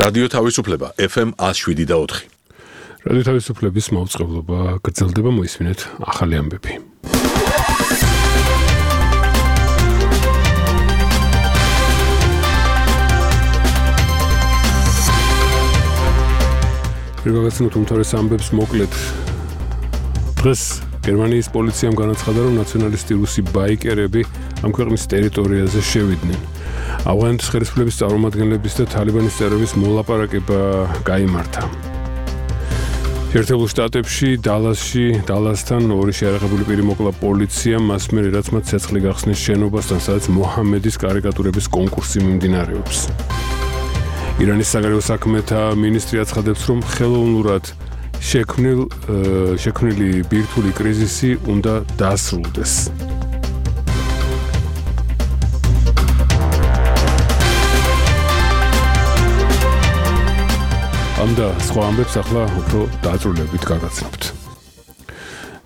რადიო თავისუფლება FM 107.4. რადიო თავისუფლების მაუწყებლობა გრძელდება, მოისმინეთ ახალი ამბები. Პირველად უმთავრეს ამბებს მოკლედ. დღეს გერმანიის პოლიციამ განაცხადა, რომ ნაციონალისტი რუსი ბაიკერები ამ ქვეყნის ტერიტორიაზე შევიდნენ. ავღანეთის ხელისუფლების წარმომადგენლების და თალიბანის წევრების მოლაპარაკება გაიმართა. შეერთებულ შტატებში, დალასთან ორი შეარაღებული პირი მოკლა პოლიციამ, მას მერე რაც მათ ცეცხლი გახსნეს შენობასთან, სადაც მოჰამედის კარიკატურების კონკურსი მიმდინარეობს. ირანის საგარეო საქმეთა მინისტრი აცხადებს, რომ ხელოვნურად შექმნილი ბირთვული კრიზისი უნდა დასრულდეს. ამ და სხვა ამბებს ახლა უფრო დაწვრილებით გაგაცნობთ.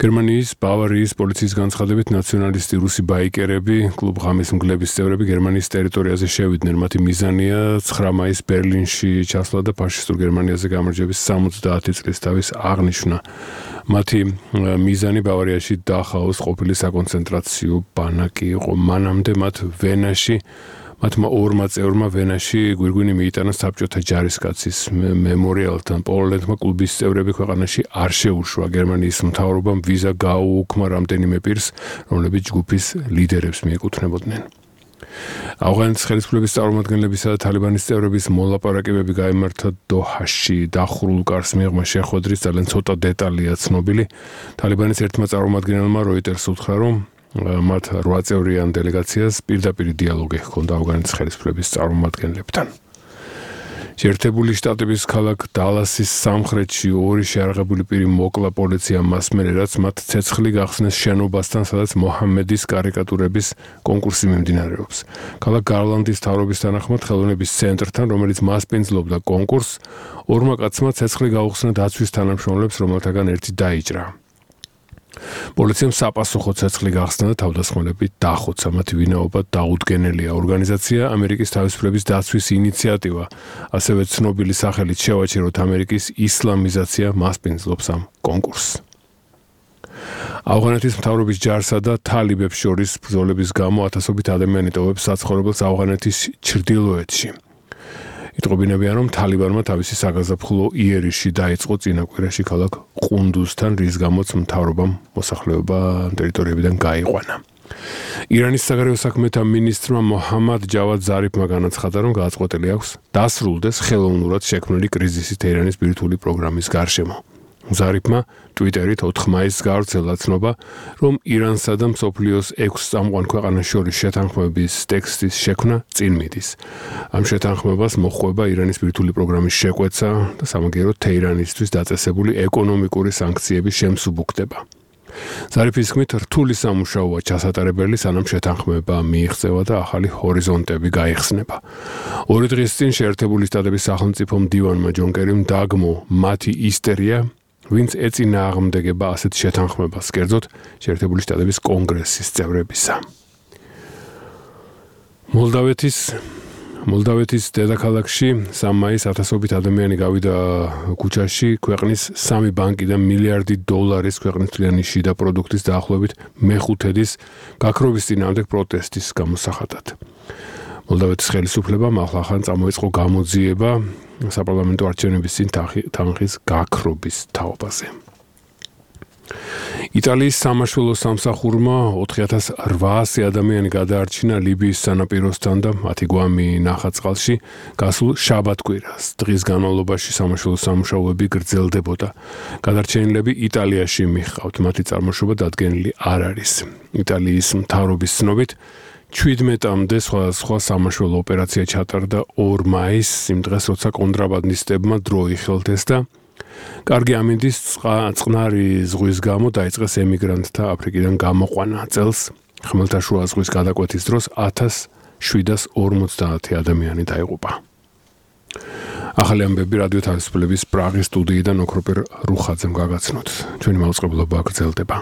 გერმანიის ბავარიის პოლიციის განცხადებით ნაციონალისტი რუსი ბაიკერები კლუბ ღამის მგლების წევრები გერმანიის ტერიტორიაზე შევიდნენ. მათი მიზანია 9 მაისს ბერლინში ჩასვლა და ფაშისტურ გერმანიაზე გამარჯვების 70 წლის თავის აღნიშვნა. მათი მიზანი ბავარიაში დახაოს ყოფილი საკონცენტრაციო ბანაკი იყო. მანამდე მათმა ორმა წევრმა ვენაში გვირგვინი მიიტანა საბჭოთა ჯარისკაცის მემორიალთან. პოლონეთმა კლუბის წევრები ქვეყანაში არ შეუშვა. გერმანიის მთავრობამ ვიზა გააუქმა რამდენიმე პირს, რომლებიც ჯგუფის ლიდერებს მიეკუთვნებოდნენ. ავღანეთის ხელისუფლების წარმომადგენლებისა და თალიბანის წევრების მოლაპარაკებები გაიმართა დოჰაში. დახურულ კარს მიღმა შეხვედრის ძალიან ცოტა დეტალია ცნობილი. თალიბანის ერთმა წარმომადგენელმა როიტერს უთხრა, რომ მათ 8 წევრიან დელეგაციას პირდაპირ დიალოგი ჰქონდა ავღანეთის ხელისუფლების წარმომადგენლებთან. შეერთებული შტატების ქალაქ დალასის სამხრეთში ორი შეარაღებული პირი მოკლა პოლიციამ მას მერე რაც მათ ცეცხლი გახსნეს შენობასთან, სადაც მოჰამედის კარიკატურების კონკურსი მიმდინარეობს. ქალაქ გარლანდის მთავრობის თანახმად ხელოვნების ცენტრთან, რომელიც მასპინძლობდა კონკურსს, ორმა კაცმა ცეცხლი გაუხსნა დაცვის თანამშრომლებს, რომელთაგან ერთი დაიჭრა. პოლიციამ საპასუხო ცეცხლი გახსნა და თავდასხმელები დახოცა. მათი ვინაობა დაუდგენელია. ორგანიზაცია ამერიკის თავისუფლების დაცვის ინიციატივა, ასევე ცნობილი სახელით შევაჩეროთ ამერიკის ისლამიზაცია მასპინძლობს ამ კონკურსს. ავღანეთის მთავრობის ჯარსა და თალიბებს შორის ბრძოლების გამო ათასობით ადამიანი ტოვებს საცხოვრებელს ავღანეთის ჩრდილოეთში. იტყობინებიან, რომ თალიბანმა თავისი საგაზაფხულო იერიში დაიწყო წინა კვირაში ქალაქ ყუნდუზთან, რის გამოც მთავრობამ მოსახლეობა ტერიტორიებიდან გაიყვანა. ირანის საგარეო საქმეთა მინისტრმა მოჰამად ჯავად ზარიფმა განაცხადა, რომ გააწყვეტილი აქვს დასრულდეს ხელოვნურად შექმნილი კრიზისი თეირანის ბირთვული პროგრამის გარშემო. ზარიფმა ტვიტერით 4 მაისს გაავრცელა ცნობა, რომ ირანსა და მსოფლიოს 6 წამყვან ქვეყანას შორის შეთანხმების ტექსტის შექმნა წინ მიდის. ამ შეთანხმებას მოჰყვება ირანის ბირთვული პროგრამის შეკვეცა და სამაგიეროდ თეირანისთვის დაწესებული ეკონომიკური სანქციების შემსუბუქდება. ზარიფის თქმით, რთული სამუშაოა ჩასატარებელი, სანამ შეთანხმება მიიღწევა და ახალი ჰორიზონტები გაიხსნება. 2 დღის წინ შეერთებული შტატების სახელმწიფო მდივანმა ჯონ კერიმ დაგმო მათი ისტერია, ვინც ეწინააღმდეგება ასეთ შეთანხმებას, კერძოდ შეერთებული შტატების კონგრესის წევრებისა. მოლდავეთის დედაქალაქში 3 მაისს ათასობით ადამიანი გავიდა ქუჩაში ქვეყნის 3 ბანკიდან $1 მილიარდი ქვეყნის თვლიანი შიდა პროდუქტის დაახლოებით მეხუთედის გაქრობის წინააღმდეგ პროტესტის გამოსახატად. მოლდავეთის ხელისუფლებამ ახლახან წამოიწყო გამოძიება საპარლამენტო არჩევნების წინ თანხის გაქრობის თაობაზე. იტალიის სამაშველო სამსახურმა 4800 ადამიანი გადაარჩინა ლიბიის სანაპიროსთან და მათი გვამი ნახაწყალში გასულ შაბათ-კვირას. დღის განმავლობაში სამაშველო სამუშაოები გრძელდებოდა. გადარჩენილები იტალიაში მიჰყავთ, მათი წარმოშობა დადგენილი არ არის. იტალიის მთავრობის ცნობით 17-მდე სხვადასხვა სამაშველო ოპერაცია ჩატარდა 2 მაისს, იმ დღეს, როცა კონტრაბანდისტებმა დრო იხელთეს და კარგი ამინდის წყნარი ზღვის გამო დაიწყეს ემიგრანტთა აფრიკიდან გამოყვანა. წელს ხმელთაშუა ზღვის გადაკვეთის დროს 1750 ადამიანი დაიღუპა. ახალი ამბები რადიო თავისუფლების პრაღის სტუდიიდან ოქროპერ რუხაძემ გაგაცნოთ. ჩვენი მაუწყებლობა გრძელდება.